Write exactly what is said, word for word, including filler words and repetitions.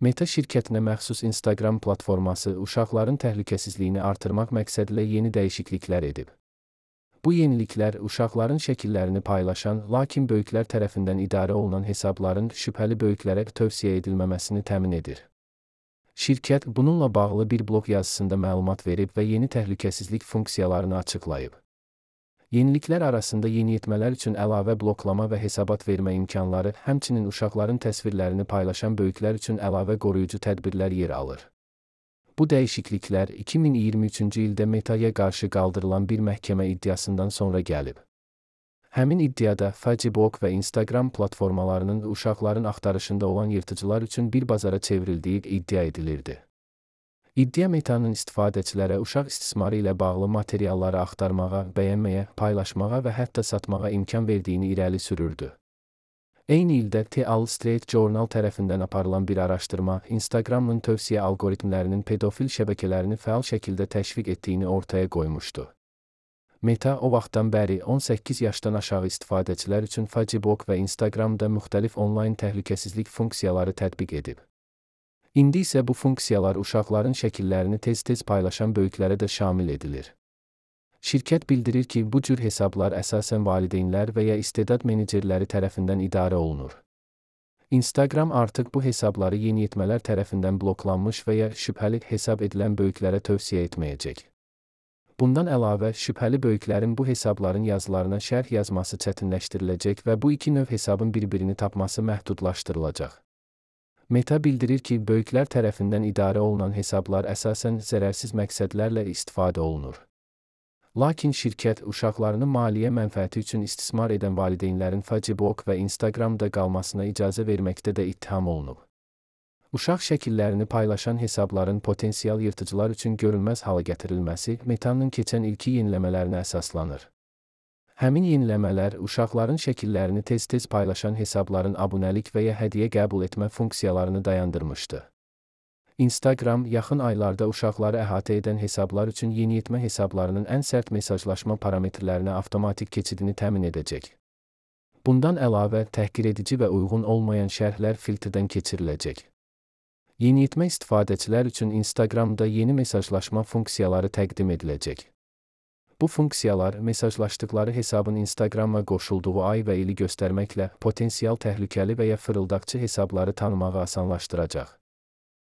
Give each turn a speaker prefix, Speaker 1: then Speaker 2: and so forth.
Speaker 1: Meta şirkətinə məxsus Instagram platforması uşaqların təhlükəsizliyini artırmaq məqsədilə yeni dəyişikliklər edib. Bu yeniliklər uşaqların şəkillərini paylaşan, lakin böyüklər tərəfindən idarə olunan hesabların şübhəli böyüklərə tövsiyə edilməməsini təmin edir. Şirkət bununla bağlı bir blog yazısında məlumat verib və yeni təhlükəsizlik funksiyalarını açıqlayıb. Yeniliklər arasında yeniyetmələr üçün əlavə bloklama və hesabat vermə imkanları, həmçinin uşaqların təsvirlərini paylaşan böyüklər üçün əlavə qoruyucu tədbirlər yer alır. Bu dəyişikliklər iki min iyirmi üçüncü ildə Meta'ya qarşı qaldırılan bir məhkəmə iddiasından sonra gəlib. Həmin iddiada Facebook və Instagram platformalarının uşaqların axtarışında olan yırtıcılar üçün bir bazara çevrildiyi iddia edilirdi. İddia Meta'nın istifadəçilərə uşaq istismarı ilə bağlı materialları axtarmağa, bəyənməyə, paylaşmağa və hətta satmağa imkan verdiyini irəli sürürdü. Eyni ildə The Wall Street Journal tərəfindən aparılan bir araşdırma, Instagram'ın tövsiyə algoritmlərinin pedofil şəbəkələrini fəal şəkildə təşviq etdiyini ortaya qoymuşdu. Meta o vaxtdan bəri on səkkiz yaşdan aşağı istifadəçilər üçün Facebook və Instagram'da müxtəlif onlayn təhlükəsizlik funksiyaları tətbiq edib. İndi isə bu funksiyalar uşaqların şəkillərini tez-tez paylaşan böyüklərə də şamil edilir. Şirkət bildirir ki, bu cür hesablar əsasən valideynlər və ya istedad menecerləri tərəfindən idarə olunur. Instagram artıq bu hesabları yeniyetmələr tərəfindən bloklanmış və ya şübhəli hesab edilən böyüklərə tövsiyə etməyəcək. Bundan əlavə, şübhəli böyüklərin bu hesabların yazılarına şərh yazması çətinləşdiriləcək və bu iki növ hesabın bir-birini tapması məhdudlaşdırılacaq. Meta bildirir ki, böyüklər tərəfindən idarə olunan hesablar əsasən zərərsiz məqsədlərlə istifadə olunur. Lakin şirkət uşaqlarını maliyyə mənfəəti üçün istismar edən valideynlərin Facebook və Instagram'da qalmasına icazə verməkdə də ittiham olunub. Uşaq şəkillərini paylaşan hesabların potensial yırtıcılar üçün görünməz hala gətirilməsi Meta'nın keçən ilki yeniləmələrinə əsaslanır. Həmin yeniləmələr uşaqların şəkillərini tez-tez paylaşan hesabların abunəlik və ya hədiyyə qəbul etmə funksiyalarını dayandırmışdı. Instagram yaxın aylarda uşaqları əhatə edən hesablar üçün yeniyetmə hesablarının ən sərt mesajlaşma parametrlərinə avtomatik keçidini təmin edəcək. Bundan əlavə, təhqiredici və uyğun olmayan şərhlər filtrdən keçiriləcək. Yeniyetmə istifadəçilər üçün Instagram'da yeni mesajlaşma funksiyaları təqdim ediləcək. Bu funksiyalar, mesajlaşdıqları hesabın Instagram'a qoşulduğu ay və ili göstərməklə potensial təhlükəli və ya fırıldaqçı hesabları tanımağı asanlaşdıracaq.